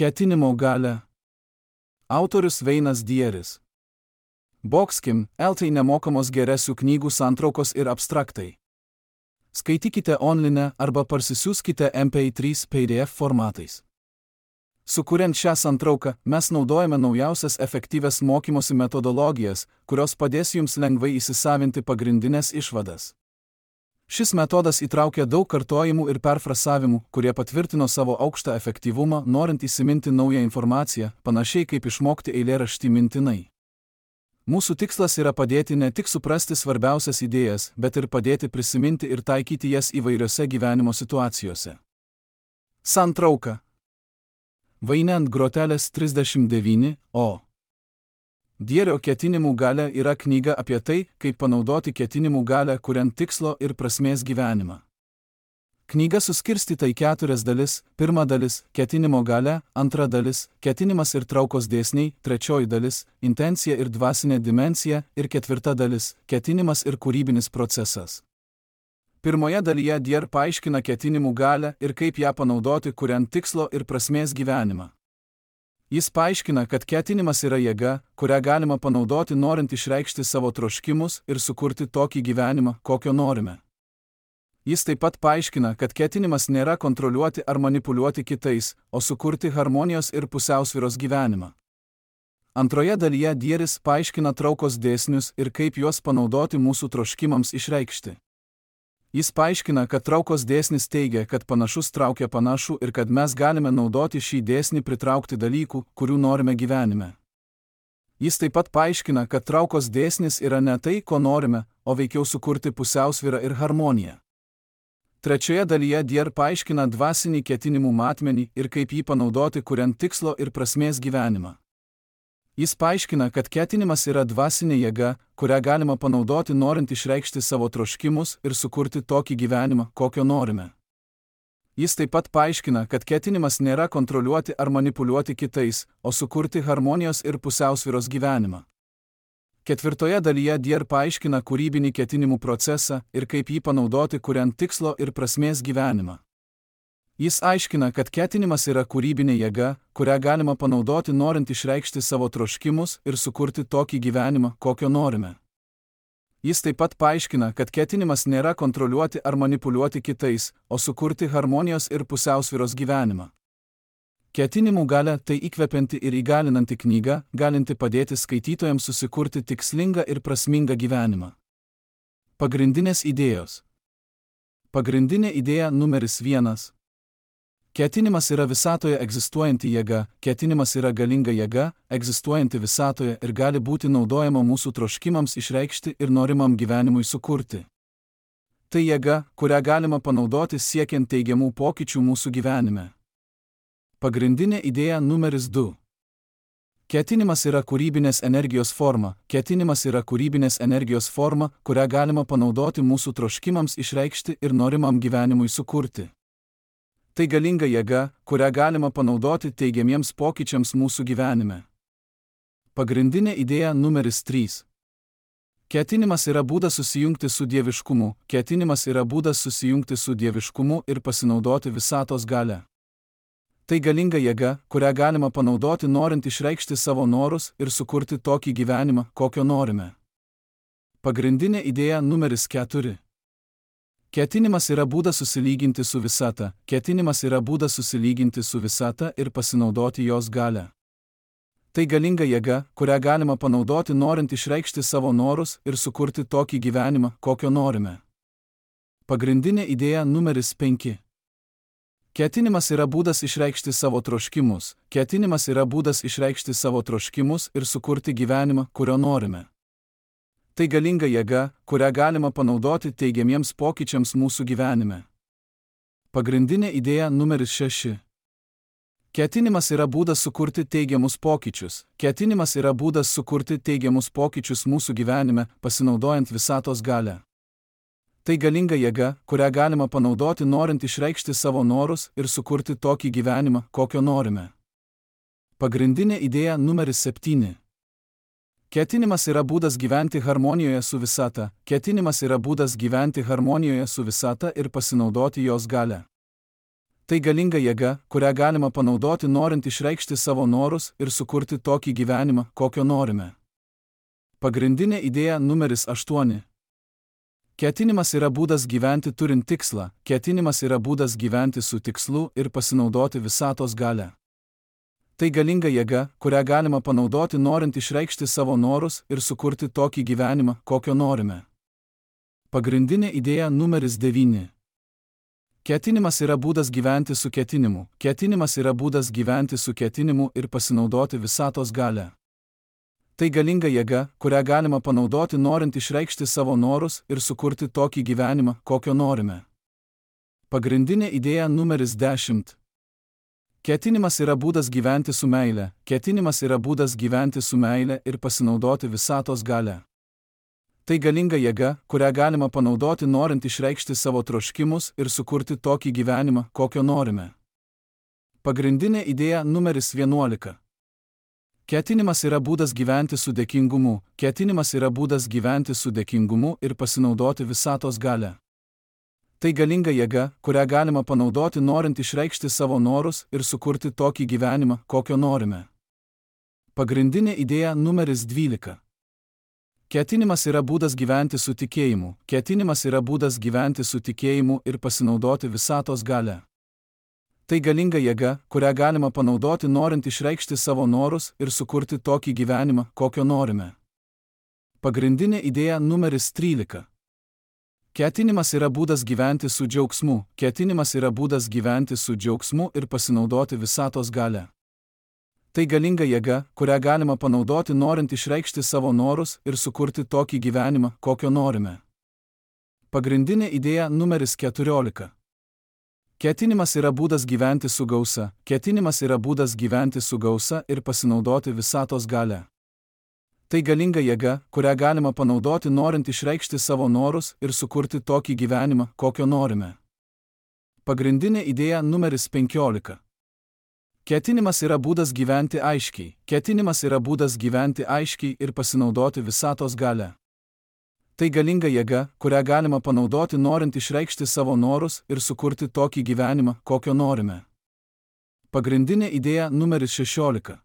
Ketinimo galia. Autorius Veinas Dieris. Boxkim, LT nemokamos geresių knygų santraukos ir abstraktai. Skaitykite online arba parsisiųskite MP3 PDF formatais. Sukuriant šią santrauką, mes naudojame naujausias efektyvias mokymosi metodologijas, kurios padės jums lengvai įsisavinti pagrindinės išvadas. Šis metodas įtraukia daug kartojimų ir perfrasavimų, kurie patvirtino savo aukštą efektyvumą, norint įsiminti naują informaciją, panašiai kaip išmokti eilėraštį mintinai. Mūsų tikslas yra padėti ne tik suprasti svarbiausias idėjas, bet ir padėti prisiminti ir taikyti jas įvairiose gyvenimo situacijose. Santrauka. Vaine ant grotelės 39, o. Dierio ketinimų galia yra knyga apie tai, kaip panaudoti ketinimų galią kuriant tikslo ir prasmės gyvenimą. Knyga suskirstyta į 4 dalis: 1 dalis – ketinimo galia, 2 dalis – ketinimas ir traukos dėsniai, 3 dalis – intencija ir dvasinė dimensija ir 4 dalis – ketinimas ir kūrybinis procesas. Pirmoje dalyje Dier paaiškina ketinimų galią ir kaip ją panaudoti kuriant tikslo ir prasmės gyvenimą. Jis paaiškina, kad ketinimas yra jėga, kurią galima panaudoti norint išreikšti savo troškimus ir sukurti tokį gyvenimą, kokio norime. Jis taip pat paaiškina, kad ketinimas nėra kontroliuoti ar manipuliuoti kitais, o sukurti harmonijos ir pusiausvyros gyvenimą. Antroje dalyje Dieris paaiškina traukos dėsnius ir kaip juos panaudoti mūsų troškimams išreikšti. Jis paaiškina, kad traukos dėsnis teigia, kad panašus traukia panašų ir kad mes galime naudoti šį dėsnį pritraukti dalykų, kurių norime gyvenime. Jis taip pat paaiškina, kad traukos dėsnis yra ne tai, ko norime, o veikiau sukurti pusiausvyrą ir harmoniją. Trečioje dalyje Dier paaiškina dvasinį ketinimų matmenį ir kaip jį panaudoti kuriant tikslo ir prasmės gyvenimą. Jis paaiškina, kad ketinimas yra dvasinė jėga, kurią galima panaudoti norint išreikšti savo troškimus ir sukurti tokį gyvenimą, kokio norime. Jis taip pat paaiškina, kad ketinimas nėra kontroliuoti ar manipuliuoti kitais, o sukurti harmonijos ir pusiausvyros gyvenimą. Ketvirtoje dalyje Dier paaiškina kūrybinį ketinimų procesą ir kaip jį panaudoti kuriant tikslo ir prasmės gyvenimą. Jis aiškina, kad ketinimas yra kūrybinė jėga, kurią galima panaudoti norint išreikšti savo troškimus ir sukurti tokį gyvenimą, kokio norime. Jis taip pat paaiškina, kad ketinimas nėra kontroliuoti ar manipuliuoti kitais, o sukurti harmonijos ir pusiausvyros gyvenimą. Ketinimų galia tai įkvepianti ir įgalinanti knyga, galinti padėti skaitytojams susikurti tikslingą ir prasmingą gyvenimą. Pagrindinės idėjos. Pagrindinė idėja numeris 1. Ketinimas yra visatoje egzistuojanti jėga, ketinimas yra galinga jėga, egzistuojanti visatoje ir gali būti naudojama mūsų troškimams išreikšti ir norimam gyvenimui sukurti. Tai jėga, kurią galima panaudoti siekiant teigiamų pokyčių mūsų gyvenime. Pagrindinė idėja numeris 2. Ketinimas yra kūrybinės energijos forma, ketinimas yra kūrybinės energijos forma, kurią galima panaudoti mūsų troškimams išreikšti ir norimam gyvenimui sukurti. Tai galinga jėga, kurią galima panaudoti teigiamiems pokyčiams mūsų gyvenime. Pagrindinė idėja numeris 3. Ketinimas yra būdas susijungti su dieviškumu, ketinimas yra būdas susijungti su dieviškumu ir pasinaudoti visatos galia. Tai galinga jėga, kurią galima panaudoti norint išreikšti savo norus ir sukurti tokį gyvenimą, kokio norime. Pagrindinė idėja numeris 4. Ketinimas yra būdas susilyginti su visata, ketinimas yra būdas susilyginti su visata ir pasinaudoti jos galią. Tai galinga jėga, kurią galima panaudoti norint išreikšti savo norus ir sukurti tokį gyvenimą, kokio norime. Pagrindinė idėja numeris 5. Ketinimas yra būdas išreikšti savo troškimus, ketinimas yra būdas išreikšti savo troškimus ir sukurti gyvenimą, kurio norime. Tai galinga jėga, kurią galima panaudoti teigiamiems pokyčiams mūsų gyvenime. Pagrindinė idėja numeris 6. Ketinimas yra būdas sukurti teigiamus pokyčius, ketinimas yra būdas sukurti teigiamus pokyčius mūsų gyvenime, pasinaudojant visatos galią. Tai galinga jėga, kurią galima panaudoti norint išreikšti savo norus ir sukurti tokį gyvenimą, kokio norime. Pagrindinė idėja numeris 7. Ketinimas yra būdas gyventi harmonijoje su visata, ketinimas yra būdas gyventi harmonijoje su visata ir pasinaudoti jos galią. Tai galinga jėga, kurią galima panaudoti norint išreikšti savo norus ir sukurti tokį gyvenimą, kokio norime. Pagrindinė idėja numeris 8. Ketinimas yra būdas gyventi turint tikslą, ketinimas yra būdas gyventi su tikslu ir pasinaudoti visatos galią. Tai galinga jėga, kurią galima panaudoti norint išreikšti savo norus ir sukurti tokį gyvenimą, kokio norime. Pagrindinė idėja numeris 9. Ketinimas yra būdas gyventi su ketinimu, ketinimas yra būdas gyventi su ketinimu ir pasinaudoti visatos galią. Tai galinga jėga, kurią galima panaudoti norint išreikšti savo norus ir sukurti tokį gyvenimą, kokio norime. Pagrindinė idėja numeris 10. Ketinimas yra būdas gyventi su meile, ketinimas yra būdas gyventi su meile ir pasinaudoti visatos galią. Tai galinga jėga, kurią galima panaudoti norint išreikšti savo troškimus ir sukurti tokį gyvenimą, kokio norime. Pagrindinė idėja numeris 11. Ketinimas yra būdas gyventi su dėkingumu, ketinimas yra būdas gyventi su dėkingumu ir pasinaudoti visatos galią. Tai galinga jėga, kurią galima panaudoti norint išreikšti savo norus ir sukurti tokį gyvenimą, kokio norime. Pagrindinė idėja numeris 12. Ketinimas yra būdas gyventi su tikėjimu, ketinimas yra būdas gyventi su tikėjimu ir pasinaudoti visatos galią. Tai galinga jėga, kurią galima panaudoti norint išreikšti savo norus ir sukurti tokį gyvenimą, kokio norime. Pagrindinė idėja numeris 13. Ketinimas yra būdas gyventi su džiaugsmu, ketinimas yra būdas gyventi su džiaugsmu ir pasinaudoti visatos galią. Tai galinga jėga, kurią galima panaudoti norint išreikšti savo norus ir sukurti tokį gyvenimą, kokio norime. Pagrindinė idėja numeris 14. Ketinimas yra būdas gyventi su gausa, ketinimas yra būdas gyventi su gausa ir pasinaudoti visatos galią. Tai galinga jėga, kurią galima panaudoti norint išreikšti savo norus ir sukurti tokį gyvenimą, kokio norime. Pagrindinė idėja numeris 15. Ketinimas yra būdas gyventi aiškiai, ketinimas yra būdas gyventi aiškiai ir pasinaudoti visatos galią. Tai galinga jėga, kurią galima panaudoti norint išreikšti savo norus ir sukurti tokį gyvenimą, kokio norime. Pagrindinė idėja numeris 16.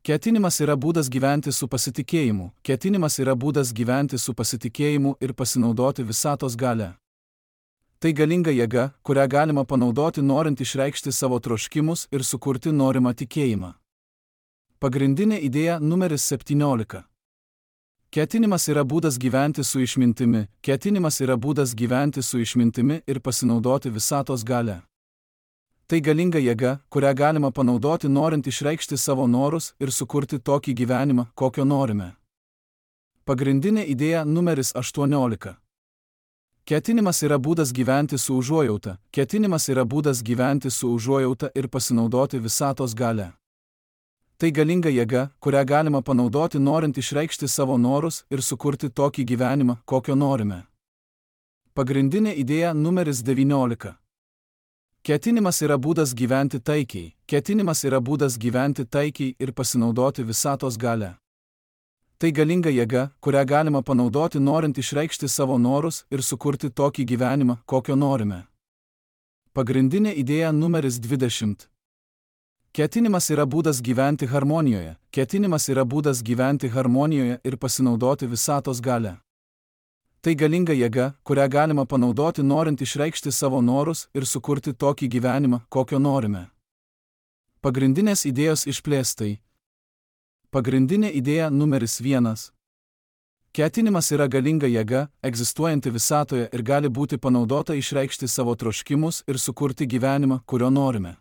Ketinimas yra būdas gyventi su pasitikėjimu, ketinimas yra būdas gyventi su pasitikėjimu ir pasinaudoti visatos galią. Tai galinga jėga, kurią galima panaudoti norint išreikšti savo troškimus ir sukurti norimą tikėjimą. Pagrindinė idėja numeris 17. Ketinimas yra būdas gyventi su išmintimi, ketinimas yra būdas gyventi su išmintimi ir pasinaudoti visatos galią. Tai galinga jėga, kurią galima panaudoti norint išreikšti savo norus ir sukurti tokį gyvenimą, kokio norime. Pagrindinė idėja numeris 18. Ketinimas yra būdas gyventi su užuojauta, ketinimas yra būdas gyventi su užuojauta ir pasinaudoti visatos galią. Tai galinga jėga, kurią galima panaudoti norint išreikšti savo norus ir sukurti tokį gyvenimą, kokio norime. Pagrindinė idėja numeris 19. Ketinimas yra būdas gyventi taikiai, ketinimas yra būdas gyventi taikiai ir pasinaudoti visatos galią. Tai galinga jėga, kurią galima panaudoti norint išreikšti savo norus ir sukurti tokį gyvenimą, kokio norime. Pagrindinė idėja numeris 20. Ketinimas yra būdas gyventi harmonijoje, ketinimas yra būdas gyventi harmonijoje ir pasinaudoti visatos galią. Tai galinga jėga, kurią galima panaudoti norint išreikšti savo norus ir sukurti tokį gyvenimą, kokio norime. Pagrindinės idėjos išplėstai. Pagrindinė idėja numeris 1. Ketinimas yra galinga jėga, egzistuojanti visatoje ir gali būti panaudota išreikšti savo troškimus ir sukurti gyvenimą, kurio norime.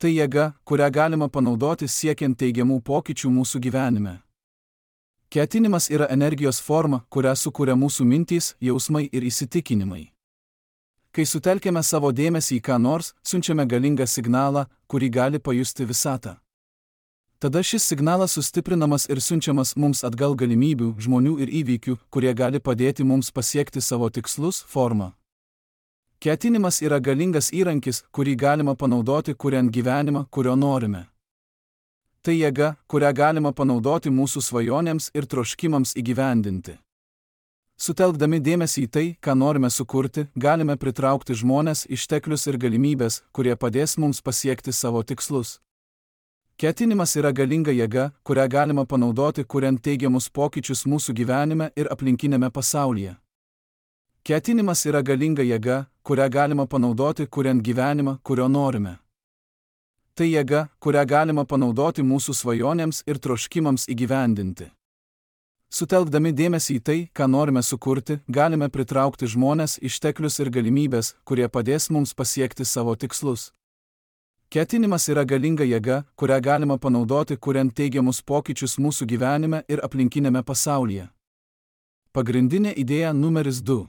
Tai jėga, kurią galima panaudoti siekiant teigiamų pokyčių mūsų gyvenime. Ketinimas yra energijos forma, kurią sukuria mūsų mintys, jausmai ir įsitikinimai. Kai sutelkiame savo dėmesį į ką nors, siunčiame galingą signalą, kurį gali pajusti visata. Tada šis signalas sustiprinamas ir siunčiamas mums atgal galimybių, žmonių ir įvykių, kurie gali padėti mums pasiekti savo tikslus, formą. Ketinimas yra galingas įrankis, kurį galima panaudoti kuriant gyvenimą, kurio norime. Tai jėga, kurią galima panaudoti mūsų svajonėms ir troškimams įgyvendinti. Sutelkdami dėmesį į tai, ką norime sukurti, galime pritraukti žmones, išteklius ir galimybės, kurie padės mums pasiekti savo tikslus. Ketinimas yra galinga jėga, kurią galima panaudoti, kuriant teigiamus pokyčius mūsų gyvenime ir aplinkinėme pasaulyje. Ketinimas yra galinga jėga, kurią galima panaudoti, kuriant gyvenimą, kurio norime. Tai jėga, kurią galima panaudoti mūsų svajonėms ir troškimams įgyvendinti. Sutelkdami dėmesį į tai, ką norime sukurti, galime pritraukti žmones, išteklius ir galimybės, kurie padės mums pasiekti savo tikslus. Ketinimas yra galinga jėga, kurią galima panaudoti, kuriant teigiamus pokyčius mūsų gyvenime ir aplinkinėme pasaulyje. Pagrindinė idėja numeris 2.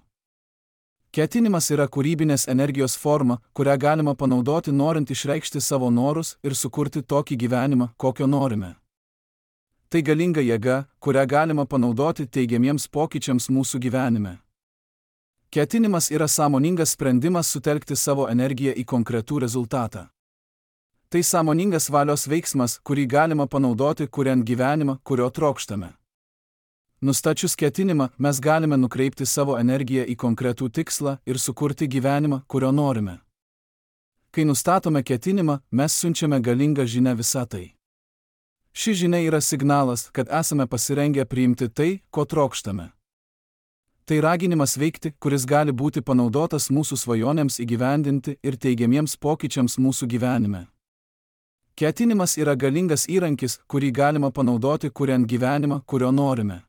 Ketinimas yra kūrybinės energijos forma, kurią galima panaudoti norint išreikšti savo norus ir sukurti tokį gyvenimą, kokio norime. Tai galinga jėga, kurią galima panaudoti teigiamiems pokyčiams mūsų gyvenime. Ketinimas yra sąmoningas sprendimas sutelkti savo energiją į konkretų rezultatą. Tai sąmoningas valios veiksmas, kurį galima panaudoti, kuriant gyvenimą, kurio trokštame. Nustačius ketinimą, mes galime nukreipti savo energiją į konkretų tikslą ir sukurti gyvenimą, kurio norime. Kai nustatome ketinimą, mes siunčiame galingą žinią visatai. Ši žinia yra signalas, kad esame pasirengę priimti tai, ko trokštame. Tai raginimas veikti, kuris gali būti panaudotas mūsų svajonėms įgyvendinti ir teigiamiems pokyčiams mūsų gyvenime. Ketinimas yra galingas įrankis, kurį galima panaudoti, kuriant gyvenimą, kurio norime.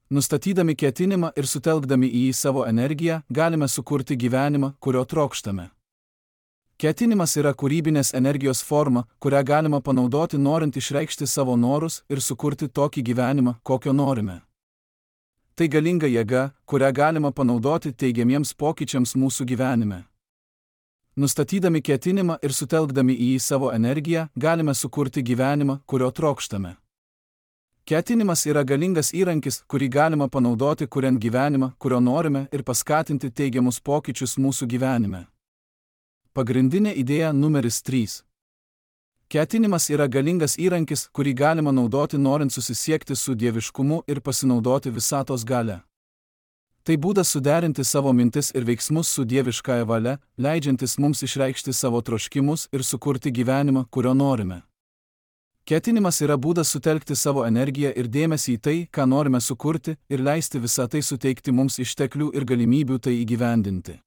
Nustatydami ketinimą ir sutelkdami į jį savo energiją, galime sukurti gyvenimą, kurio trokštame. Ketinimas yra kūrybinės energijos forma, kurią galima panaudoti norint išreikšti savo norus ir sukurti tokį gyvenimą, kokio norime. Tai galinga jėga, kurią galima panaudoti teigiamiems pokyčiams mūsų gyvenime. Nustatydami ketinimą ir sutelkdami į jį savo energiją, galime sukurti gyvenimą, kurio trokštame. Ketinimas yra galingas įrankis, kurį galima panaudoti, kuriant gyvenimą, kurio norime ir paskatinti teigiamus pokyčius mūsų gyvenime. Pagrindinė idėja numeris 3. Ketinimas yra galingas įrankis, kurį galima naudoti norint susisiekti su dieviškumu ir pasinaudoti visatos galia. Tai būdas suderinti savo mintis ir veiksmus su dieviškąja valia, leidžiantis mums išreikšti savo troškimus ir sukurti gyvenimą, kurio norime. Ketinimas yra būdas sutelkti savo energiją ir dėmesį į tai, ką norime sukurti, ir leisti visą tai suteikti mums išteklių ir galimybių tai įgyvendinti.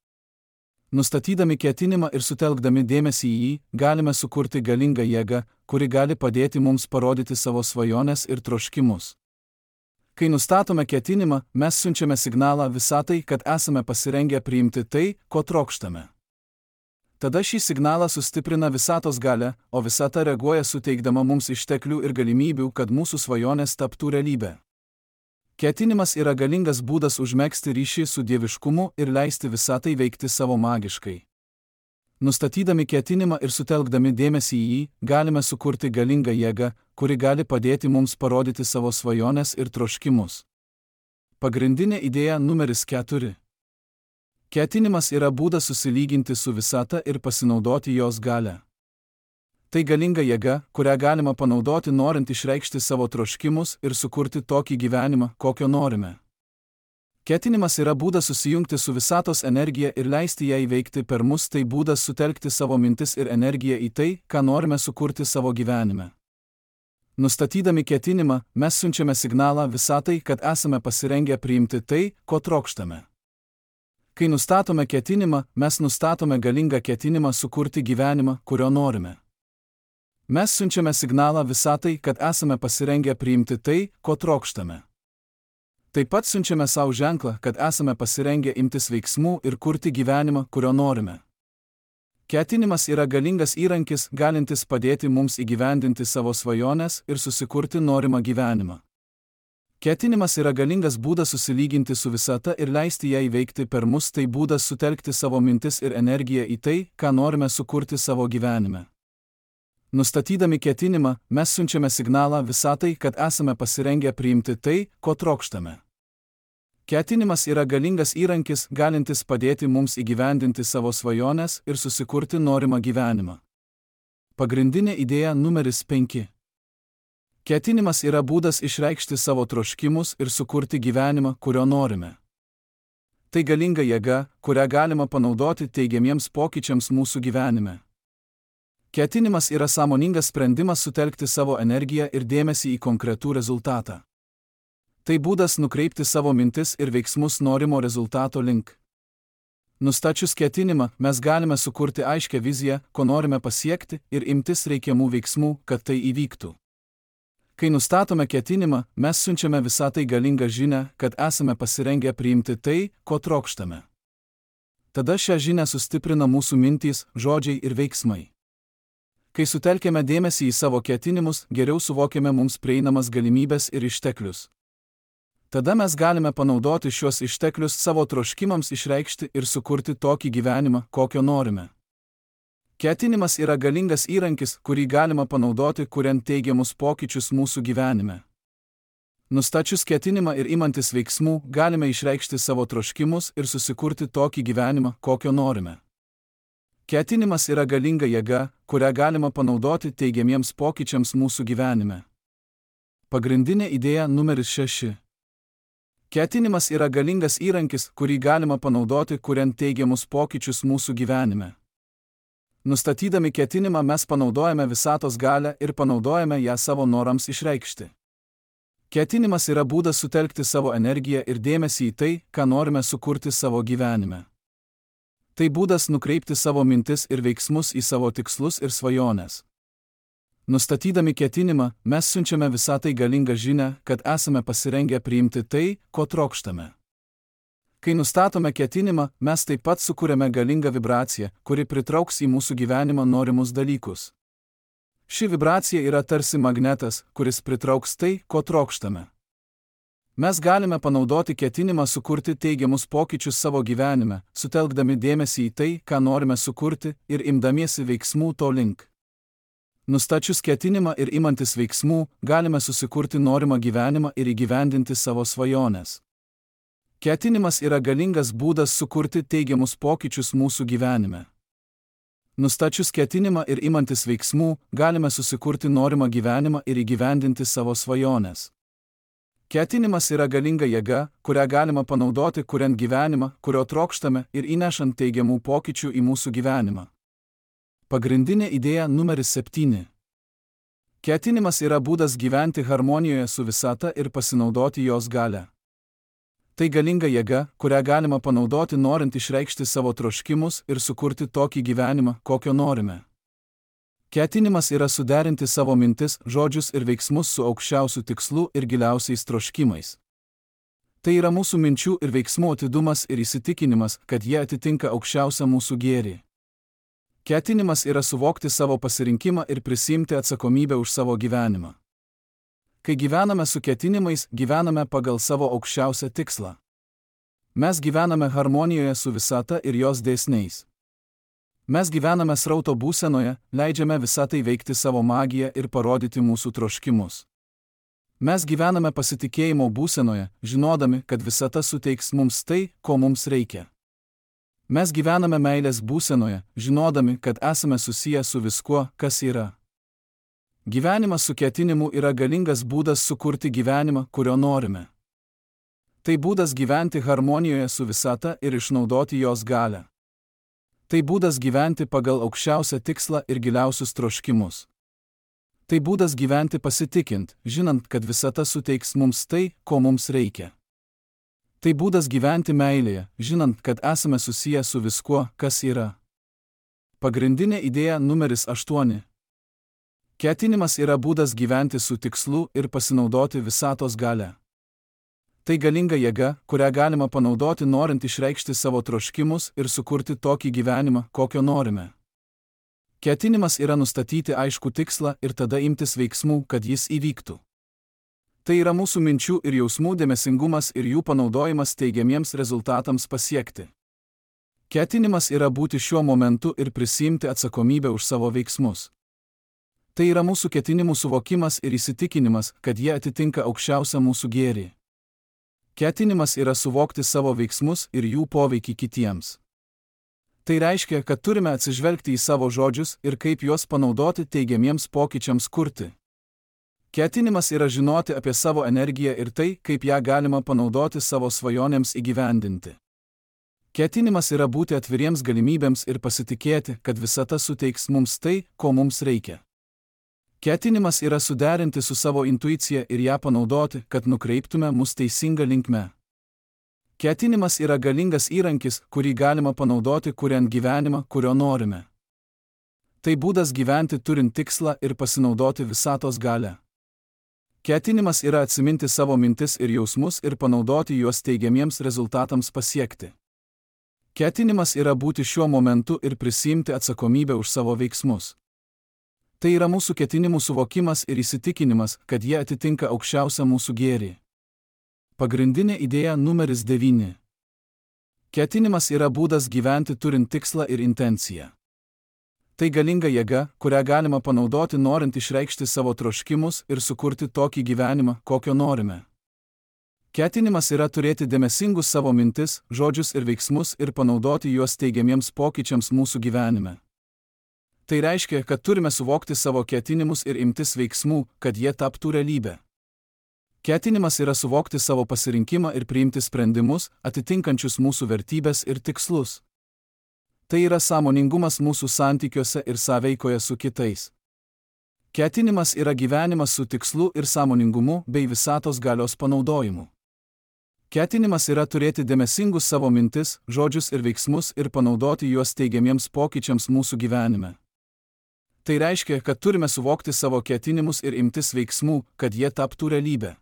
Nustatydami ketinimą ir sutelkdami dėmesį į jį, galime sukurti galingą jėgą, kuri gali padėti mums parodyti savo svajones ir troškimus. Kai nustatome ketinimą, mes siunčiame signalą visatai, kad esame pasirengę priimti tai, ko trokštame. Tada šį signalą sustiprina visatos galia, o visata reaguoja suteikdama mums išteklių ir galimybių, kad mūsų svajonės taptų realybė. Ketinimas yra galingas būdas užmegzti ryšį su dieviškumu ir leisti visatai veikti savo magiškai. Nustatydami ketinimą ir sutelkdami dėmesį į jį, galime sukurti galingą jėgą, kuri gali padėti mums parodyti savo svajones ir troškimus. Pagrindinė idėja numeris 4. Ketinimas yra būdas susilyginti su visata ir pasinaudoti jos galią. Tai galinga jėga, kurią galima panaudoti norint išreikšti savo troškimus ir sukurti tokį gyvenimą, kokio norime. Ketinimas yra būdas susijungti su visatos energija ir leisti ją įveikti per mus, tai būdas sutelkti savo mintis ir energiją į tai, ką norime sukurti savo gyvenime. Nustatydami ketinimą, mes siunčiame signalą visatai, kad esame pasirengę priimti tai, ko trokštame. Kai nustatome ketinimą, mes nustatome galingą ketinimą sukurti gyvenimą, kurio norime. Mes siunčiame signalą visatai, kad esame pasirengę priimti tai, ko trokštame. Taip pat siunčiame savo ženklą, kad esame pasirengę imtis veiksmų ir kurti gyvenimą, kurio norime. Ketinimas yra galingas įrankis, galintis padėti mums įgyvendinti savo svajones ir susikurti norimą gyvenimą. Ketinimas yra galingas būdas susilyginti su visata ir leisti ją įveikti per mus, tai būdas sutelkti savo mintis ir energiją į tai, ką norime sukurti savo gyvenime. Nustatydami ketinimą, mes siunčiame signalą visatai, kad esame pasirengę priimti tai, ko trokštame. Ketinimas yra galingas įrankis, galintis padėti mums įgyvendinti savo svajones ir susikurti norimą gyvenimą. Pagrindinė idėja numeris 5. Ketinimas yra būdas išreikšti savo troškimus ir sukurti gyvenimą, kurio norime. Tai galinga jėga, kurią galima panaudoti teigiamiems pokyčiams mūsų gyvenime. Ketinimas yra sąmoningas sprendimas sutelkti savo energiją ir dėmesį į konkretų rezultatą. Tai būdas nukreipti savo mintis ir veiksmus norimo rezultato link. Nustačius ketinimą, mes galime sukurti aiškią viziją, ko norime pasiekti ir imtis reikiamų veiksmų, kad tai įvyktų. Kai nustatome ketinimą, mes siunčiame visatai galingą žinią, kad esame pasirengę priimti tai, ko trokštame. Tada šią žinią sustiprina mūsų mintys, žodžiai ir veiksmai. Kai sutelkėme dėmesį į savo ketinimus, geriau suvokiame mums prieinamas galimybės ir išteklius. Tada mes galime panaudoti šios išteklius savo troškimams išreikšti ir sukurti tokį gyvenimą, kokio norime. Ketinimas yra galingas įrankis, kurį galima panaudoti, kuriant teigiamus pokyčius mūsų gyvenime. Nustačius ketinimą ir imantis veiksmų, galime išreikšti savo troškimus ir susikurti tokį gyvenimą, kokio norime. Ketinimas yra galinga jėga, kurią galima panaudoti teigiamiems pokyčiams mūsų gyvenime. Pagrindinė idėja numeris 6. Ketinimas yra galingas įrankis, kurį galima panaudoti, kuriant teigiamus pokyčius mūsų gyvenime. Nustatydami ketinimą mes panaudojame visatos galią ir panaudojame ją savo norams išreikšti. Ketinimas yra būdas sutelkti savo energiją ir dėmesį į tai, ką norime sukurti savo gyvenime. Tai būdas nukreipti savo mintis ir veiksmus į savo tikslus ir svajones. Nustatydami ketinimą, mes siunčiame visatai galingą žinią, kad esame pasirengę priimti tai, ko trokštame. Kai nustatome ketinimą, mes taip pat sukūrėme galingą vibraciją, kuri pritrauks į mūsų gyvenimą norimus dalykus. Ši vibracija yra tarsi magnetas, kuris pritrauks tai, ko trokštame. Mes galime panaudoti ketinimą sukurti teigiamus pokyčius savo gyvenime, sutelkdami dėmesį į tai, ką norime sukurti ir imdamiesi veiksmų to link. Nustačius ketinimą ir imantis veiksmų, galime susikurti norimą gyvenimą ir įgyvendinti savo svajones. Ketinimas yra galingas būdas sukurti teigiamus pokyčius mūsų gyvenime. Nustačius ketinimą ir imantis veiksmų, galime susikurti norimą gyvenimą ir įgyvendinti savo svajones. Ketinimas yra galinga jėga, kurią galima panaudoti, kuriant gyvenimą, kurio trokštame ir įnešant teigiamų pokyčių į mūsų gyvenimą. Pagrindinė idėja numeris 7. Ketinimas yra būdas gyventi harmonijoje su visata ir pasinaudoti jos galią. Tai galinga jėga, kurią galima panaudoti norint išreikšti savo troškimus ir sukurti tokį gyvenimą, kokio norime. Ketinimas yra suderinti savo mintis, žodžius ir veiksmus su aukščiausiu tikslu ir giliausiais troškimais. Tai yra mūsų minčių ir veiksmų atidumas ir įsitikinimas, kad jie atitinka aukščiausią mūsų gėrį. Ketinimas yra suvokti savo pasirinkimą ir prisiimti atsakomybę už savo gyvenimą. Kai gyvename su ketinimais, gyvename pagal savo aukščiausią tikslą. Mes gyvename harmonijoje su visata ir jos dėsniais. Mes gyvename srauto būsenoje, leidžiame visatai veikti savo magiją ir parodyti mūsų troškimus. Mes gyvename pasitikėjimo būsenoje, žinodami, kad visata suteiks mums tai, ko mums reikia. Mes gyvename meilės būsenoje, žinodami, kad esame susiję su viskuo, kas yra. Gyvenimas su ketinimu yra galingas būdas sukurti gyvenimą, kurio norime. Tai būdas gyventi harmonijoje su visata ir išnaudoti jos galią. Tai būdas gyventi pagal aukščiausią tikslą ir giliausius troškimus. Tai būdas gyventi pasitikint, žinant, kad visata suteiks mums tai, ko mums reikia. Tai būdas gyventi meilėje, žinant, kad esame susiję su viskuo, kas yra. Pagrindinė idėja numeris 8. Ketinimas yra būdas gyventi su tikslu ir pasinaudoti visatos galią. Tai galinga jėga, kurią galima panaudoti norint išreikšti savo troškimus ir sukurti tokį gyvenimą, kokio norime. Ketinimas yra nustatyti aiškų tikslą ir tada imtis veiksmų, kad jis įvyktų. Tai yra mūsų minčių ir jausmų dėmesingumas ir jų panaudojimas teigiamiems rezultatams pasiekti. Ketinimas yra būti šiuo momentu ir prisiimti atsakomybę už savo veiksmus. Tai yra mūsų ketinimų suvokimas ir įsitikinimas, kad jie atitinka aukščiausią mūsų gėrį. Ketinimas yra suvokti savo veiksmus ir jų poveikį kitiems. Tai reiškia, kad turime atsižvelgti į savo žodžius ir kaip juos panaudoti teigiamiems pokyčiams kurti. Ketinimas yra žinoti apie savo energiją ir tai, kaip ją galima panaudoti savo svajonėms įgyvendinti. Ketinimas yra būti atviriems galimybėms ir pasitikėti, kad visata suteiks mums tai, ko mums reikia. Ketinimas yra suderinti su savo intuicija ir ją panaudoti, kad nukreiptume mus teisinga linkme. Ketinimas yra galingas įrankis, kurį galima panaudoti kuriant gyvenimą, kurio norime. Tai būdas gyventi turint tikslą ir pasinaudoti visatos galią. Ketinimas yra atsiminti savo mintis ir jausmus ir panaudoti juos teigiamiems rezultatams pasiekti. Ketinimas yra būti šiuo momentu ir prisiimti atsakomybę už savo veiksmus. Tai yra mūsų ketinimų suvokimas ir įsitikinimas, kad jie atitinka aukščiausią mūsų gėrį. Pagrindinė idėja numeris 9. Ketinimas yra būdas gyventi turint tikslą ir intenciją. Tai galinga jėga, kurią galima panaudoti norint išreikšti savo troškimus ir sukurti tokį gyvenimą, kokio norime. Ketinimas yra turėti dėmesingus savo mintis, žodžius ir veiksmus ir panaudoti juos teigiamiems pokyčiams mūsų gyvenime. Tai reiškia, kad turime suvokti savo ketinimus ir imtis veiksmų, kad jie taptų realybę. Ketinimas yra suvokti savo pasirinkimą ir priimti sprendimus, atitinkančius mūsų vertybes ir tikslus. Tai yra sąmoningumas mūsų santykiuose ir sąveikoje su kitais. Ketinimas yra gyvenimas su tikslu ir sąmoningumu bei visatos galios panaudojimu. Ketinimas yra turėti dėmesingus savo mintis, žodžius ir veiksmus ir panaudoti juos teigiamiems pokyčiams mūsų gyvenime. Tai reiškia, kad turime suvokti savo ketinimus ir imtis veiksmų, kad jie taptų realybę.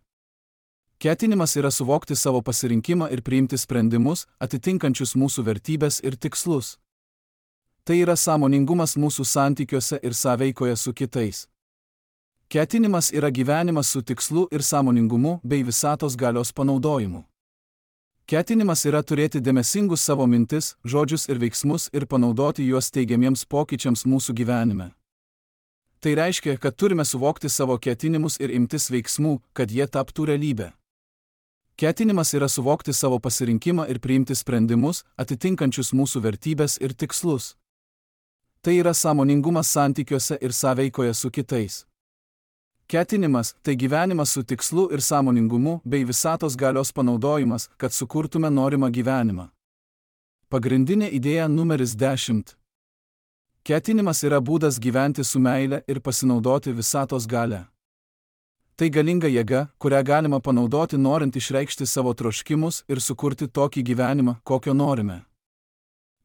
Ketinimas yra suvokti savo pasirinkimą ir priimti sprendimus, atitinkančius mūsų vertybes ir tikslus. Tai yra sąmoningumas mūsų santykiuose ir sąveikoje su kitais. Ketinimas yra gyvenimas su tikslu ir sąmoningumu bei visatos galios panaudojimu. Ketinimas yra turėti dėmesingus savo mintis, žodžius ir veiksmus ir panaudoti juos teigiamiems pokyčiams mūsų gyvenime. Tai reiškia, kad turime suvokti savo ketinimus ir imtis veiksmų, kad jie taptų realybę. Ketinimas yra suvokti savo pasirinkimą ir priimti sprendimus, atitinkančius mūsų vertybes ir tikslus. Tai yra sąmoningumas santykiuose ir sąveikoje su kitais. Ketinimas – tai gyvenimas su tikslu ir sąmoningumu bei visatos galios panaudojimas, kad sukurtume norimą gyvenimą. Pagrindinė idėja numeris 10. Ketinimas yra būdas gyventi su meile ir pasinaudoti visatos galią. Tai galinga jėga, kurią galima panaudoti norint išreikšti savo troškimus ir sukurti tokį gyvenimą, kokio norime.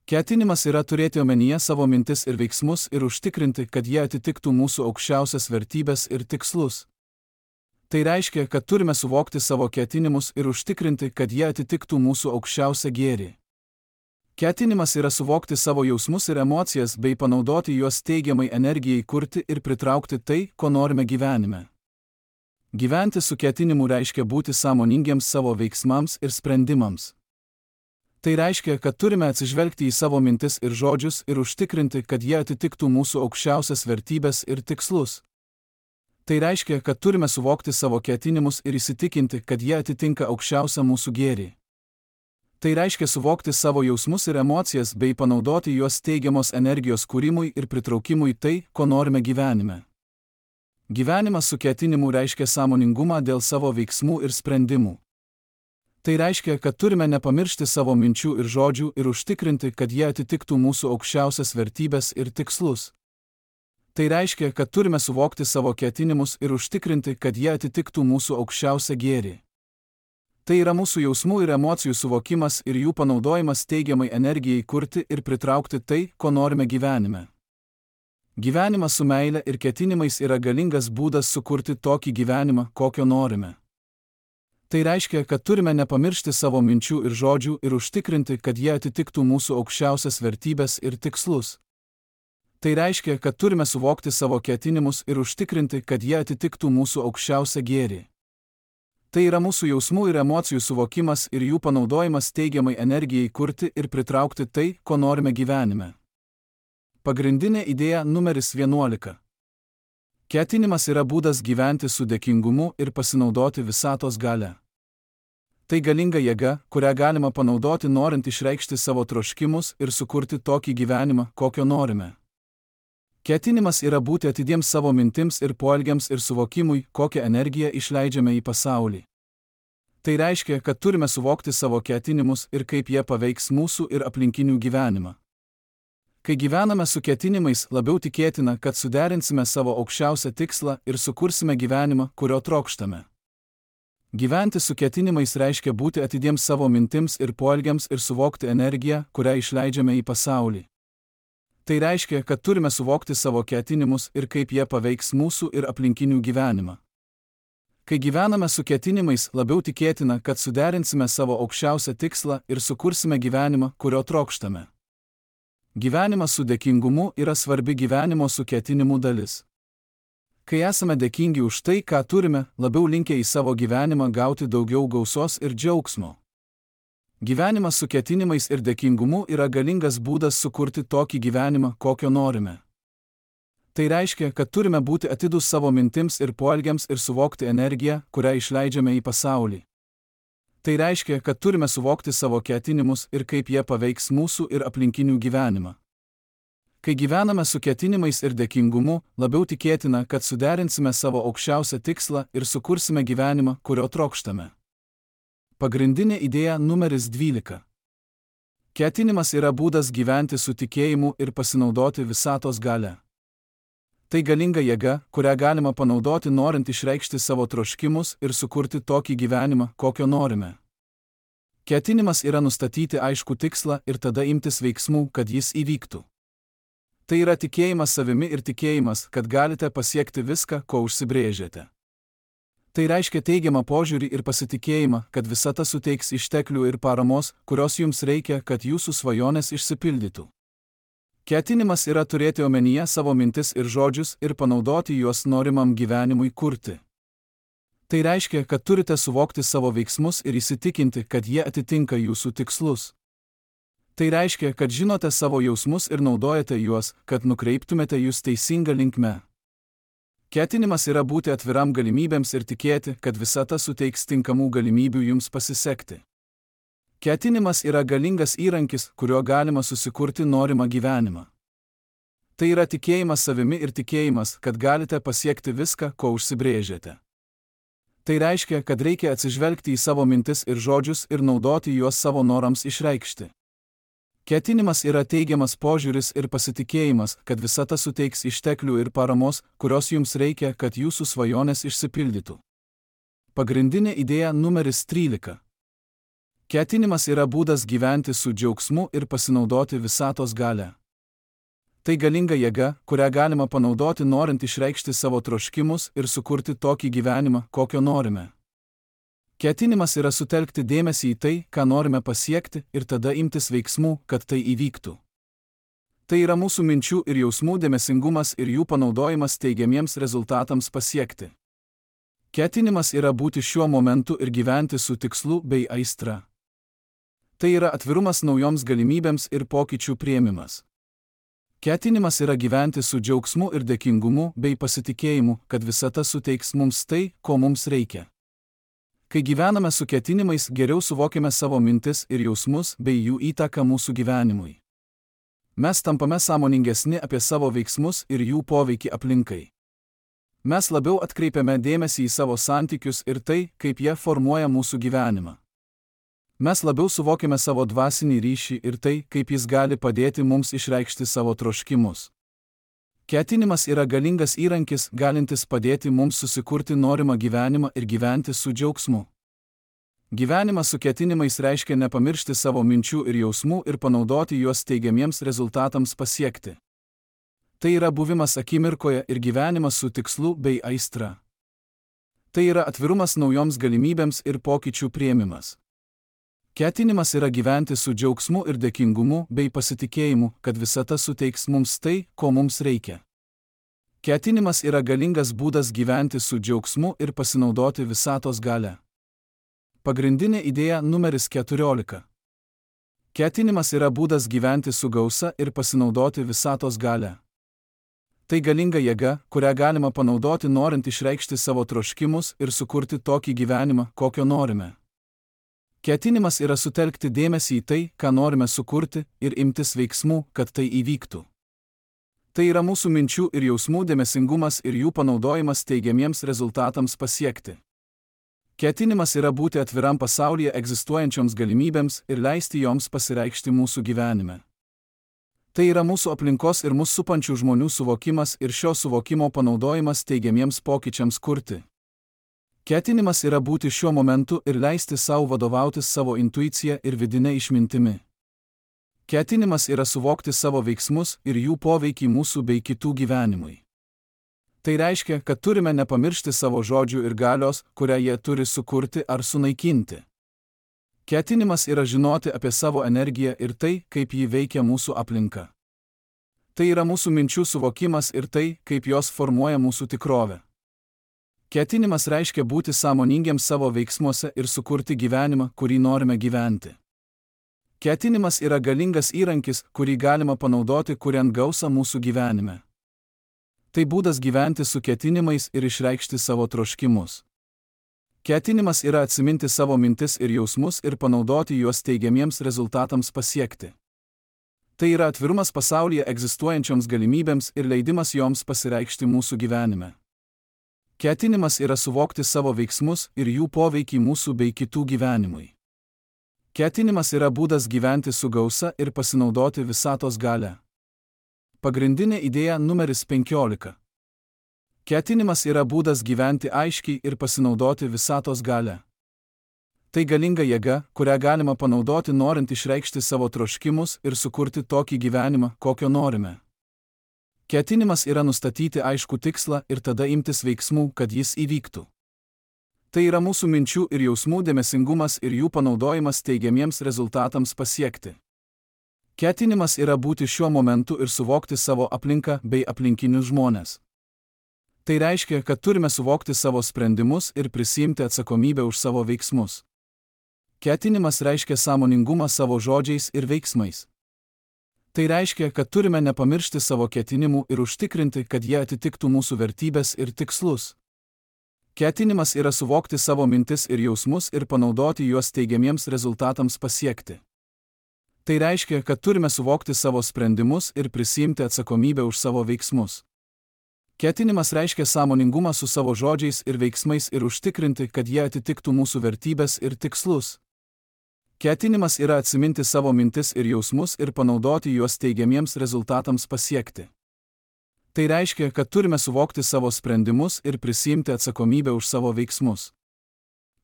Ketinimas yra turėti omenyje savo mintis ir veiksmus ir užtikrinti, kad jie atitiktų mūsų aukščiausias vertybes ir tikslus. Tai reiškia, kad turime suvokti savo ketinimus ir užtikrinti, kad jie atitiktų mūsų aukščiausią gėrį. Ketinimas yra suvokti savo jausmus ir emocijas bei panaudoti juos teigiamai energijai kurti ir pritraukti tai, ko norime gyvenime. Gyventi su ketinimu reiškia būti sąmoningiems savo veiksmams ir sprendimams. Tai reiškia, kad turime atsižvelgti į savo mintis ir žodžius ir užtikrinti, kad jie atitiktų mūsų aukščiausias vertybes ir tikslus. Tai reiškia, kad turime suvokti savo ketinimus ir įsitikinti, kad jie atitinka aukščiausią mūsų gėrį. Tai reiškia suvokti savo jausmus ir emocijas bei panaudoti juos teigiamos energijos kūrimui ir pritraukimui tai, ko norime gyvenime. Gyvenimas su ketinimu reiškia sąmoningumą dėl savo veiksmų ir sprendimų. Tai reiškia, kad turime nepamiršti savo minčių ir žodžių ir užtikrinti, kad jie atitiktų mūsų aukščiausias vertybes ir tikslus. Tai reiškia, kad turime suvokti savo ketinimus ir užtikrinti, kad jie atitiktų mūsų aukščiausią gėrį. Tai yra mūsų jausmų ir emocijų suvokimas ir jų panaudojimas teigiamai energijai kurti ir pritraukti tai, ko norime gyvenime. Gyvenimas su meile ir ketinimais yra galingas būdas sukurti tokį gyvenimą, kokio norime. Tai reiškia, kad turime nepamiršti savo minčių ir žodžių ir užtikrinti, kad jie atitiktų mūsų aukščiausias vertybes ir tikslus. Tai reiškia, kad turime suvokti savo ketinimus ir užtikrinti, kad jie atitiktų mūsų aukščiausią gėrį. Tai yra mūsų jausmų ir emocijų suvokimas ir jų panaudojimas teigiamai energijai kurti ir pritraukti tai, ko norime gyvenime. Pagrindinė idėja numeris 11. Ketinimas yra būdas gyventi su dėkingumu ir pasinaudoti visatos galią. Tai galinga jėga, kurią galima panaudoti norint išreikšti savo troškimus ir sukurti tokį gyvenimą, kokio norime. Ketinimas yra būti atidiems savo mintims ir poelgiams ir suvokimui, kokią energiją išleidžiame į pasaulį. Tai reiškia, kad turime suvokti savo ketinimus ir kaip jie paveiks mūsų ir aplinkinių gyvenimą. Kai gyvename su ketinimais, labiau tikėtina, kad suderinsime savo aukščiausią tikslą ir sukursime gyvenimą, kurio trokštame. Gyventi su ketinimais reiškia būti atidiems savo mintims ir poelgiams ir suvokti energiją, kurią išleidžiame į pasaulį. Tai reiškia, kad turime suvokti savo ketinimus ir kaip jie paveiks mūsų ir aplinkinių gyvenimą. Kai gyvename su ketinimais, labiau tikėtina, kad suderinsime savo aukščiausią tikslą ir sukursime gyvenimą, kurio trokštame. Gyvenimas su dėkingumu yra svarbi gyvenimo su ketinimu dalis. Kai esame dėkingi už tai, ką turime, labiau linkę į savo gyvenimą gauti daugiau gausos ir džiaugsmo. Gyvenimas su ketinimais ir dėkingumu yra galingas būdas sukurti tokį gyvenimą, kokio norime. Tai reiškia, kad turime būti atidūs savo mintims ir poelgiams ir suvokti energiją, kurią išleidžiame į pasaulį. Tai reiškia, kad turime suvokti savo ketinimus ir kaip jie paveiks mūsų ir aplinkinių gyvenimą. Kai gyvename su ketinimais ir dėkingumu, labiau tikėtina, kad suderinsime savo aukščiausią tikslą ir sukursime gyvenimą, kurio trokštame. Pagrindinė idėja numeris 12. Ketinimas yra būdas gyventi su tikėjimu ir pasinaudoti visatos galia. Tai galinga jėga, kurią galima panaudoti norint išreikšti savo troškimus ir sukurti tokį gyvenimą, kokio norime. Ketinimas yra nustatyti aiškų tikslą ir tada imtis veiksmų, kad jis įvyktų. Tai yra tikėjimas savimi ir tikėjimas, kad galite pasiekti viską, ko užsibrėžėte. Tai reiškia teigiamą požiūrį ir pasitikėjimą, kad visata suteiks išteklių ir paramos, kurios jums reikia, kad jūsų svajonės išsipildytų. Ketinimas yra turėti omenyje savo mintis ir žodžius ir panaudoti juos norimam gyvenimui kurti. Tai reiškia, kad turite suvokti savo veiksmus ir įsitikinti, kad jie atitinka jūsų tikslus. Tai reiškia, kad žinote savo jausmus ir naudojate juos, kad nukreiptumėte jūs teisinga linkme. Ketinimas yra būti atviram galimybėms ir tikėti, kad visata suteiks tinkamų galimybių jums pasisekti. Ketinimas yra galingas įrankis, kuriuo galima susikurti norimą gyvenimą. Tai yra tikėjimas savimi ir tikėjimas, kad galite pasiekti viską, ko užsibrėžėte. Tai reiškia, kad reikia atsižvelgti į savo mintis ir žodžius ir naudoti juos savo norams išreikšti. Ketinimas yra teigiamas požiūris ir pasitikėjimas, kad visata suteiks išteklių ir paramos, kurios jums reikia, kad jūsų svajonės išsipildytų. Pagrindinė idėja numeris 13. Ketinimas yra būdas gyventi su džiaugsmu ir pasinaudoti visatos galia. Tai galinga jėga, kurią galima panaudoti norint išreikšti savo troškimus ir sukurti tokį gyvenimą, kokio norime. Ketinimas yra sutelkti dėmesį į tai, ką norime pasiekti ir tada imtis veiksmų, kad tai įvyktų. Tai yra mūsų minčių ir jausmų dėmesingumas ir jų panaudojimas teigiamiems rezultatams pasiekti. Ketinimas yra būti šiuo momentu ir gyventi su tikslu bei aistra. Tai yra atvirumas naujoms galimybėms ir pokyčių priėmimas. Ketinimas yra gyventi su džiaugsmu ir dėkingumu bei pasitikėjimu, kad visata suteiks mums tai, ko mums reikia. Kai gyvename su ketinimais, geriau suvokiame savo mintis ir jausmus bei jų įtaką mūsų gyvenimui. Mes tampame sąmoningesni apie savo veiksmus ir jų poveikį aplinkai. Mes labiau atkreipiame dėmesį į savo santykius ir tai, kaip jie formuoja mūsų gyvenimą. Mes labiau suvokiame savo dvasinį ryšį ir tai, kaip jis gali padėti mums išreikšti savo troškimus. Ketinimas yra galingas įrankis, galintis padėti mums susikurti norimą gyvenimą ir gyventi su džiaugsmu. Gyvenimas su ketinimais reiškia nepamiršti savo minčių ir jausmų ir panaudoti juos teigiamiems rezultatams pasiekti. Tai yra buvimas akimirkoje ir gyvenimas su tikslu bei aistra. Tai yra atvirumas naujoms galimybėms ir pokyčių priėmimas. Ketinimas yra gyventi su džiaugsmu ir dėkingumu bei pasitikėjimu, kad visata suteiks mums tai, ko mums reikia. Ketinimas yra galingas būdas gyventi su džiaugsmu ir pasinaudoti visatos galia. Pagrindinė idėja numeris 14. Ketinimas yra būdas gyventi su gausa ir pasinaudoti visatos galia. Tai galinga jėga, kurią galima panaudoti norint išreikšti savo troškimus ir sukurti tokį gyvenimą, kokio norime. Ketinimas yra sutelkti dėmesį į tai, ką norime sukurti ir imtis veiksmų, kad tai įvyktų. Tai yra mūsų minčių ir jausmų dėmesingumas ir jų panaudojimas teigiamiems rezultatams pasiekti. Ketinimas yra būti atviram pasaulyje egzistuojančioms galimybėms ir leisti joms pasireikšti mūsų gyvenime. Tai yra mūsų aplinkos ir mūsų supančių žmonių suvokimas ir šio suvokimo panaudojimas teigiamiems pokyčiams kurti. Ketinimas yra būti šiuo momentu ir leisti savo vadovautis savo intuicija ir vidinė išmintimi. Ketinimas yra suvokti savo veiksmus ir jų poveikį mūsų bei kitų gyvenimui. Tai reiškia, kad turime nepamiršti savo žodžių ir galios, kurią jie turi sukurti ar sunaikinti. Ketinimas yra žinoti apie savo energiją ir tai, kaip ji veikia mūsų aplinką. Tai yra mūsų minčių suvokimas ir tai, kaip jos formuoja mūsų tikrovę. Ketinimas reiškia būti sąmoningiems savo veiksmuose ir sukurti gyvenimą, kurį norime gyventi. Ketinimas yra galingas įrankis, kurį galima panaudoti, kuriant gausą mūsų gyvenime. Tai būdas gyventi su ketinimais ir išreikšti savo troškimus. Ketinimas yra atsiminti savo mintis ir jausmus ir panaudoti juos teigiamiems rezultatams pasiekti. Tai yra atvirumas pasaulyje egzistuojančioms galimybėms ir leidimas joms pasireikšti mūsų gyvenime. Ketinimas yra suvokti savo veiksmus ir jų poveikį mūsų bei kitų gyvenimui. Ketinimas yra būdas gyventi su gausa ir pasinaudoti visatos galią. Pagrindinė idėja numeris 15. Ketinimas yra būdas gyventi aiškiai ir pasinaudoti visatos galią. Tai galinga jėga, kurią galima panaudoti norint išreikšti savo troškimus ir sukurti tokį gyvenimą, kokio norime. Ketinimas yra nustatyti aiškų tikslą ir tada imtis veiksmų, kad jis įvyktų. Tai yra mūsų minčių ir jausmų dėmesingumas ir jų panaudojimas teigiamiems rezultatams pasiekti. Ketinimas yra būti šiuo momentu ir suvokti savo aplinką bei aplinkinius žmones. Tai reiškia, kad turime suvokti savo sprendimus ir prisiimti atsakomybę už savo veiksmus. Ketinimas reiškia sąmoningumą savo žodžiais ir veiksmais. Tai reiškia, kad turime nepamiršti savo ketinimų ir užtikrinti, kad jie atitiktų mūsų vertybės ir tikslus. Ketinimas yra suvokti savo mintis ir jausmus ir panaudoti juos teigiamiems rezultatams pasiekti. Tai reiškia, kad turime suvokti savo sprendimus ir prisiimti atsakomybę už savo veiksmus. Ketinimas reiškia sąmoningumą su savo žodžiais ir veiksmais ir užtikrinti, kad jie atitiktų mūsų vertybės ir tikslus. Ketinimas yra atsiminti savo mintis ir jausmus ir panaudoti juos teigiamiems rezultatams pasiekti. Tai reiškia, kad turime suvokti savo sprendimus ir prisiimti atsakomybę už savo veiksmus.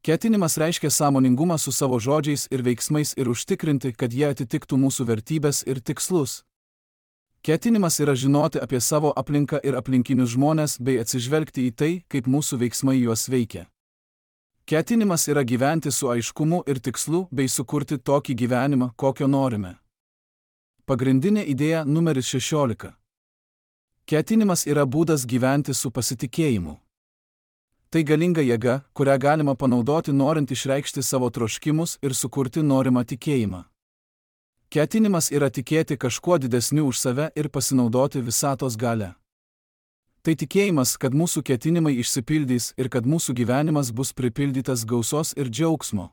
Ketinimas reiškia sąmoningumą su savo žodžiais ir veiksmais ir užtikrinti, kad jie atitiktų mūsų vertybės ir tikslus. Ketinimas yra žinoti apie savo aplinką ir aplinkinius žmones bei atsižvelgti į tai, kaip mūsų veiksmai juos veikia. Ketinimas yra gyventi su aiškumu ir tikslu bei sukurti tokį gyvenimą, kokio norime. Pagrindinė idėja numeris 16. Ketinimas yra būdas gyventi su pasitikėjimu. Tai galinga jėga, kurią galima panaudoti norint išreikšti savo troškimus ir sukurti norimą tikėjimą. Ketinimas yra tikėti kažkuo didesniu už save ir pasinaudoti visatos galią. Tai tikėjimas, kad mūsų ketinimai išsipildys ir kad mūsų gyvenimas bus pripildytas gausos ir džiaugsmo.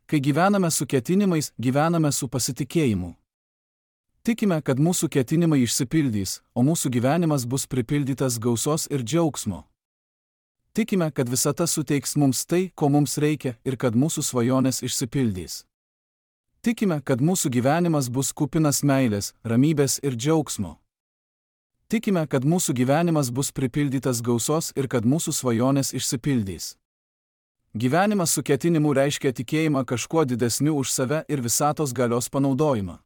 Kai gyvename su ketinimais, gyvename su pasitikėjimu. Tikime, kad mūsų ketinimai išsipildys, o mūsų gyvenimas bus pripildytas gausos ir džiaugsmo. Tikime, kad visata suteiks mums tai, ko mums reikia, ir kad mūsų svajonės išsipildys. Tikime, kad mūsų gyvenimas bus kupinas meilės, ramybės ir džiaugsmo. Tikime, kad mūsų gyvenimas bus pripildytas gausos ir kad mūsų svajonės išsipildys. Gyvenimas su ketinimu reiškia tikėjimą kažkuo didesniu už save ir visatos galios panaudojimą.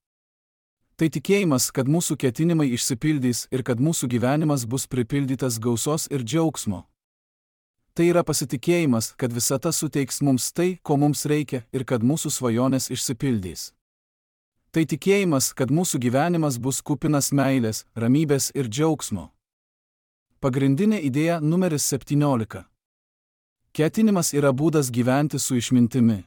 Tai tikėjimas, kad mūsų ketinimai išsipildys ir kad mūsų gyvenimas bus pripildytas gausos ir džiaugsmo. Tai yra pasitikėjimas, kad visata suteiks mums tai, ko mums reikia ir kad mūsų svajonės išsipildys. Tai tikėjimas, kad mūsų gyvenimas bus kupinas meilės, ramybės ir džiaugsmo. Pagrindinė idėja numeris 17. Ketinimas yra būdas gyventi su išmintimi.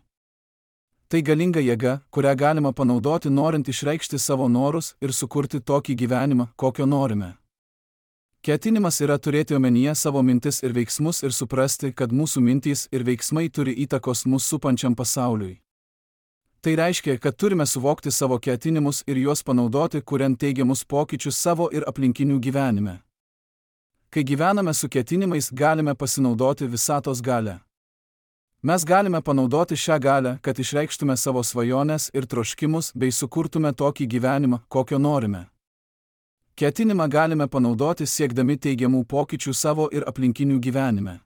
Tai galinga jėga, kurią galima panaudoti norint išreikšti savo norus ir sukurti tokį gyvenimą, kokio norime. Ketinimas yra turėti omenyje savo mintis ir veiksmus ir suprasti, kad mūsų mintys ir veiksmai turi įtakos mūsų supančiam pasauliui. Tai reiškia, kad turime suvokti savo ketinimus ir juos panaudoti, kuriant teigiamus pokyčius savo ir aplinkinių gyvenime. Kai gyvename su ketinimais, galime pasinaudoti visatos galią. Mes galime panaudoti šią galią, kad išreikštume savo svajones ir troškimus bei sukurtume tokį gyvenimą, kokio norime. Ketinimą galime panaudoti siekdami teigiamų pokyčių savo ir aplinkinių gyvenime.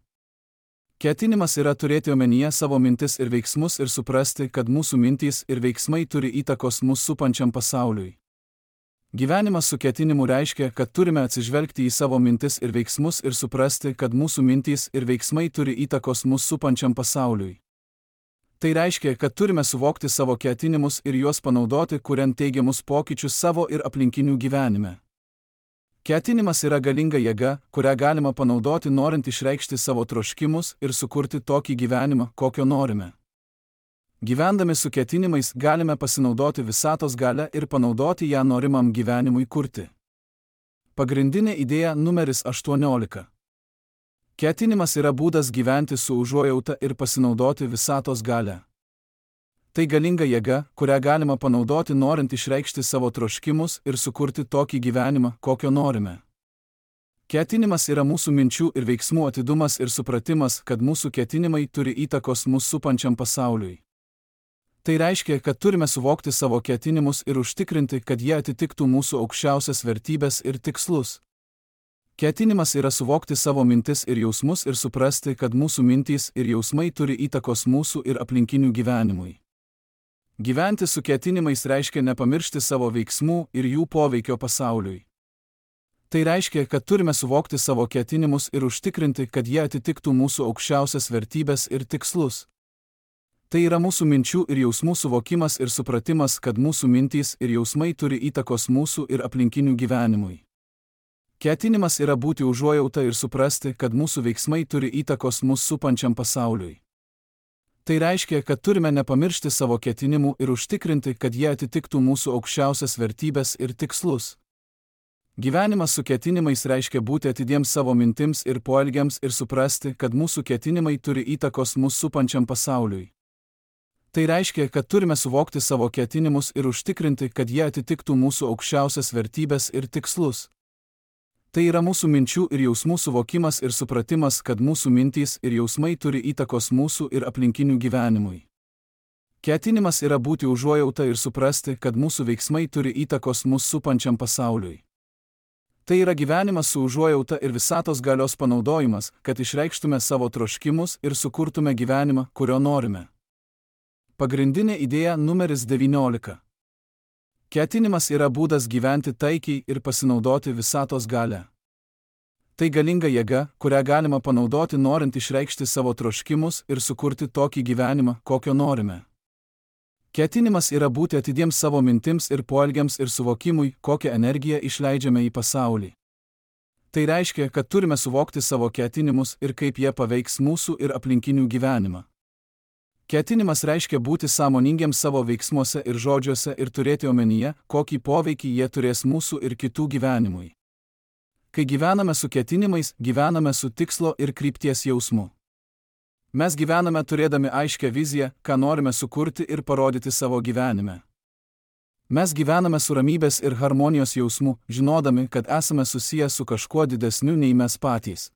Ketinimas yra turėti omenyje savo mintis ir veiksmus ir suprasti, kad mūsų mintys ir veiksmai turi įtakos mūsų supančiam pasauliui. Gyvenimas su ketinimu reiškia, kad turime atsižvelgti į savo mintis ir veiksmus ir suprasti, kad mūsų mintys ir veiksmai turi įtakos mūsų supančiam pasauliui. Tai reiškia, kad turime suvokti savo ketinimus ir juos panaudoti, kuriant teigiamus pokyčius savo ir aplinkinių gyvenime. Ketinimas yra galinga jėga, kurią galima panaudoti norint išreikšti savo troškimus ir sukurti tokį gyvenimą, kokio norime. Gyvendami su ketinimais galime pasinaudoti visatos galią ir panaudoti ją norimam gyvenimui kurti. Pagrindinė idėja numeris 18. Ketinimas yra būdas gyventi su užuojauta ir pasinaudoti visatos galią. Tai galinga jėga, kurią galima panaudoti norint išreikšti savo troškimus ir sukurti tokį gyvenimą, kokio norime. Ketinimas yra mūsų minčių ir veiksmų atidumas ir supratimas, kad mūsų ketinimai turi įtakos mūsų supančiam pasauliui. Tai reiškia, kad turime suvokti savo ketinimus ir užtikrinti, kad jie atitiktų mūsų aukščiausias vertybes ir tikslus. Ketinimas yra suvokti savo mintis ir jausmus ir suprasti, kad mūsų mintys ir jausmai turi įtakos mūsų ir aplinkinių gyvenimui. Gyventi su ketinimais reiškia nepamiršti savo veiksmų ir jų poveikio pasauliui. Tai reiškia, kad turime suvokti savo ketinimus ir užtikrinti, kad jie atitiktų mūsų aukščiausias vertybes ir tikslus. Tai yra mūsų minčių ir jausmų suvokimas ir supratimas, kad mūsų mintys ir jausmai turi įtakos mūsų ir aplinkinių gyvenimui. Ketinimas yra būti užuojauta ir suprasti, kad mūsų veiksmai turi įtakos mūsų supančiam pasauliui. Tai reiškia, kad turime nepamiršti savo ketinimų ir užtikrinti, kad jie atitiktų mūsų aukščiausias vertybes ir tikslus. Gyvenimas su ketinimais reiškia būti atidiems savo mintims ir poelgiams ir suprasti, kad mūsų ketinimai turi įtakos mūsų supančiam pasauliui. Tai reiškia, kad turime suvokti savo ketinimus ir užtikrinti, kad jie atitiktų mūsų aukščiausias vertybes ir tikslus. Tai yra mūsų minčių ir jausmų suvokimas ir supratimas, kad mūsų mintys ir jausmai turi įtakos mūsų ir aplinkinių gyvenimui. Ketinimas yra būti užuojauta ir suprasti, kad mūsų veiksmai turi įtakos mūsų supančiam pasauliui. Tai yra gyvenimas su užuojauta ir visatos galios panaudojimas, kad išreikštume savo troškimus ir sukurtume gyvenimą, kurio norime. Pagrindinė idėja numeris 19. Ketinimas yra būdas gyventi taikiai ir pasinaudoti visatos galią. Tai galinga jėga, kurią galima panaudoti norint išreikšti savo troškimus ir sukurti tokį gyvenimą, kokio norime. Ketinimas yra būti atidiems savo mintims ir poelgiams ir suvokimui, kokią energiją išleidžiame į pasaulį. Tai reiškia, kad turime suvokti savo ketinimus ir kaip jie paveiks mūsų ir aplinkinių gyvenimą. Ketinimas reiškia būti sąmoningiams savo veiksmuose ir žodžiuose ir turėti omenyje, kokį poveikį jie turės mūsų ir kitų gyvenimui. Kai gyvename su ketinimais, gyvename su tikslo ir krypties jausmu. Mes gyvename turėdami aiškią viziją, ką norime sukurti ir parodyti savo gyvenime. Mes gyvename su ramybės ir harmonijos jausmu, žinodami, kad esame susiję su kažkuo didesniu nei mes patys.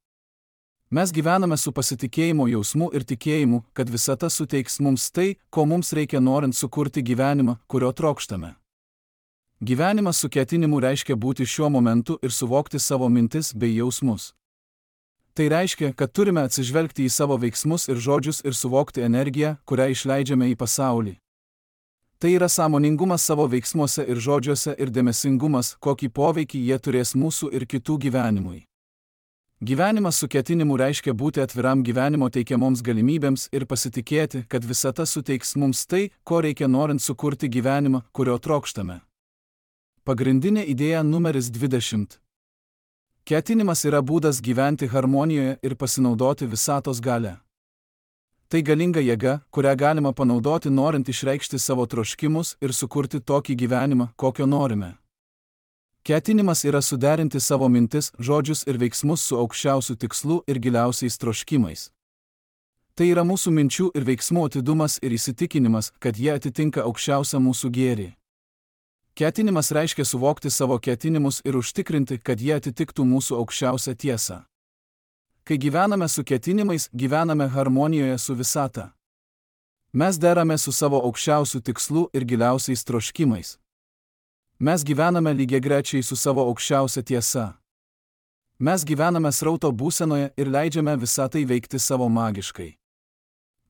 Mes gyvename su pasitikėjimo jausmu ir tikėjimu, kad visata suteiks mums tai, ko mums reikia norint sukurti gyvenimą, kurio trokštame. Gyvenimas su ketinimu reiškia būti šiuo momentu ir suvokti savo mintis bei jausmus. Tai reiškia, kad turime atsižvelgti į savo veiksmus ir žodžius ir suvokti energiją, kurią išleidžiame į pasaulį. Tai yra sąmoningumas savo veiksmuose ir žodžiuose ir dėmesingumas, kokį poveikį jie turės mūsų ir kitų gyvenimui. Gyvenimas su ketinimu reiškia būti atviram gyvenimo teikiamoms galimybėms ir pasitikėti, kad visata suteiks mums tai, ko reikia norint sukurti gyvenimą, kurio trokštame. Pagrindinė idėja numeris 20. Ketinimas yra būdas gyventi harmonijoje ir pasinaudoti visatos galią. Tai galinga jėga, kurią galima panaudoti norint išreikšti savo troškimus ir sukurti tokį gyvenimą, kokio norime. Ketinimas yra suderinti savo mintis, žodžius ir veiksmus su aukščiausiu tikslu ir giliausiais troškimais. Tai yra mūsų minčių ir veiksmų atidumas ir įsitikinimas, kad jie atitinka aukščiausią mūsų gėrį. Ketinimas reiškia suvokti savo ketinimus ir užtikrinti, kad jie atitiktų mūsų aukščiausią tiesą. Kai gyvename su ketinimais, gyvename harmonijoje su visata. Mes derame su savo aukščiausiu tikslu ir giliausiais troškimais. Mes gyvename lygiagrečiai su savo aukščiausia tiesa. Mes gyvename srauto būsenoje ir leidžiame visatai veikti savo magiškai.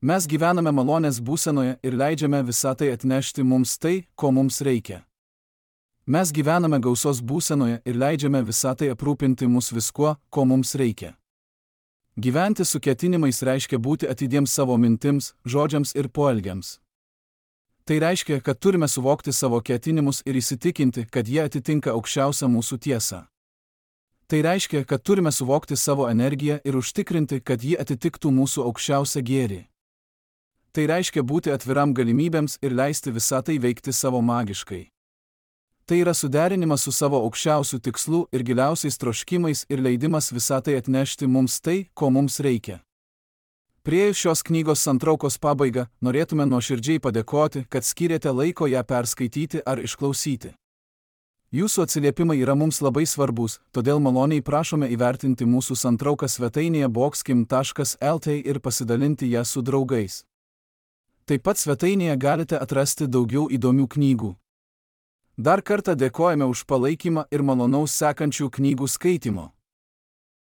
Mes gyvename malonės būsenoje ir leidžiame visatai atnešti mums tai, ko mums reikia. Mes gyvename gausos būsenoje ir leidžiame visatai aprūpinti mus viskuo, ko mums reikia. Gyventi su ketinimais reiškia būti atidiems savo mintims, žodžiams ir poelgiams. Tai reiškia, kad turime suvokti savo ketinimus ir įsitikinti, kad jie atitinka aukščiausią mūsų tiesą. Tai reiškia, kad turime suvokti savo energiją ir užtikrinti, kad ji atitiktų mūsų aukščiausią gėrį. Tai reiškia būti atviram galimybėms ir leisti visatai veikti savo magiškai. Tai yra suderinimas su savo aukščiausiu tikslu ir giliausiais troškimais ir leidimas visatai atnešti mums tai, ko mums reikia. Priėjus šios knygos santraukos pabaigą, norėtume nuoširdžiai padėkoti, kad skyrėte laiko ją perskaityti ar išklausyti. Jūsų atsiliepimai yra mums labai svarbus, todėl maloniai prašome įvertinti mūsų santrauką svetainėje boxkim.lt ir pasidalinti ją su draugais. Taip pat svetainėje galite atrasti daugiau įdomių knygų. Dar kartą dėkojame už palaikymą ir malonaus sekančių knygų skaitymo.